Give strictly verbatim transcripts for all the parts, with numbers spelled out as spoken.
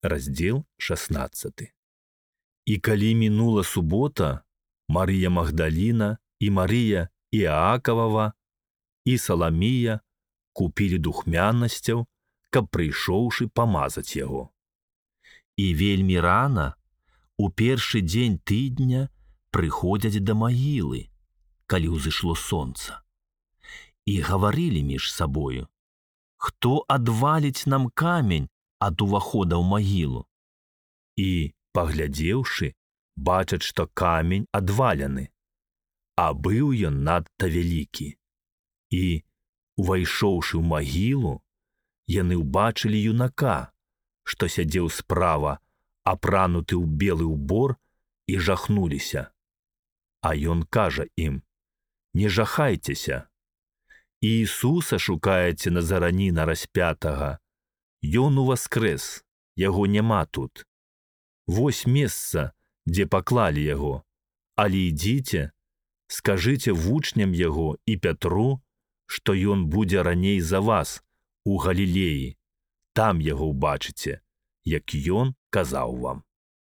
раздзел шаснаццаты. І калі мінула субота, Марыя Магдаліна і Марыя Іакавава і Саламія купілі духмянасцяў, каб прыйшоўшы памазаць яго. І вельмі рана, у першы дзень тыдня, прыходзяць да магілы, калі ўзышло сонца. І гаварылі між сабою: «Хто адваліць нам камень ад увахода ў магілу?» І, паглядзеўшы, бачаць, што камень адвалены, а быў ён надта вялікі. І, увайшоўшы ў магілу, яны ўбачылі юнака, што сядзеў справа, апрануты ў белы ўбор, і жахнуліся. А ён кажа ім: «Не жахайцеся. Іісуса шукаеце Назараніна распятага. Ён уваскрэс, яго няма тут. Вось месца, дзе паклалі яго. Але ідзіце, скажыце вучням яго і Пятру, што ён будзе раней за вас у Галілеі. Там яго ўбачыце, як ён казаў вам».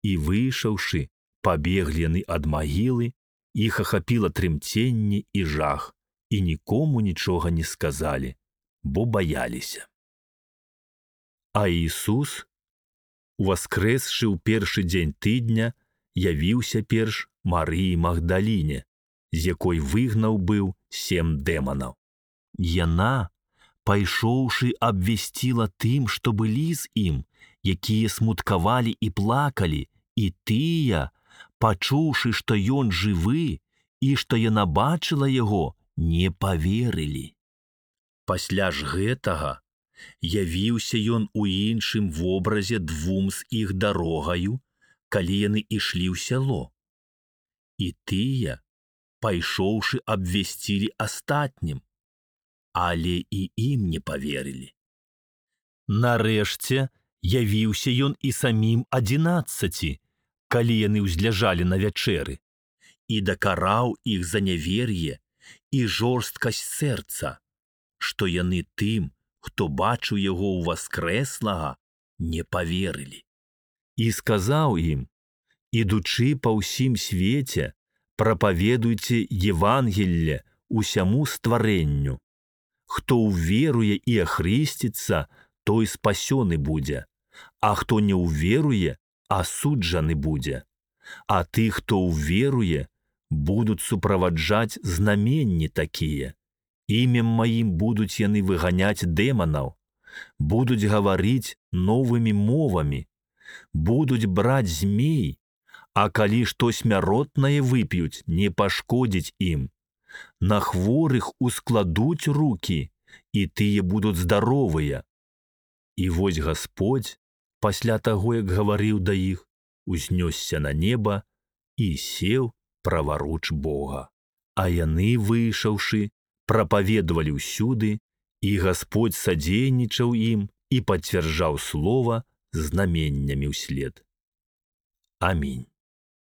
І выйшаўшы, пабеглі яны ад магілы, іх ахапіла трымценне і жах, і нікому нічога не сказалі, бо баяліся. А Ісус, уваскрэсшы ў першы дзень тыдня, явіўся перш Марыі Магдаліне, з якой выгнаў быў сем дэманаў. Яна, пайшоўшы, абвясціла тым, што былі з ім, якія смуткавалі і плакалі, і тыя, пачуўшы, што ён жывы і што яна бачыла яго, не паверылі. Пасля ж гэтага явіўся ён у іншым вобразе двум з іх дарогаю, калі яны ішлі ў сяло. І тыя, пайшоўшы, абвясцілі астатнім, але і ім не паверылі. Нарэшце явіўся ён і самім адзінаццаці, калі яны ўзляжалі на вячэры, і дакараў іх за нявер'е і жорсткасць сэрца, што яны тым, хто бачыў яго ўваскрэслага, не паверылі. І сказаў ім: «Ідучы па ўсім свеце, прапаведуйце Евангелле усяму стварэнню. Хто ўверуе і ахрысціцца, той спасёны будзе, а хто не ўверуе, асуджаны будзе. А ты, хто ўверуе, будуць суправаджаць знаменні такія. Імем маім будуць яны выганяць дэманаў, будуць гаварыць новымі мовамі, будуць браць змей, а калі што смяротнае вып'юць, не пашкодзіць ім. На хворых ускладуць рукі, і тыя будуць здаровыя». І вось Гасподзь, пасля таго, як гаварыў да іх, узнёсся на неба і сеў праваруч Бога. А яны, выйшаўшы, прапаведвалі ўсюды, і Гасподзь садзейнічаў ім і пацвярджаў слова знаменнямі ўслед. Амінь.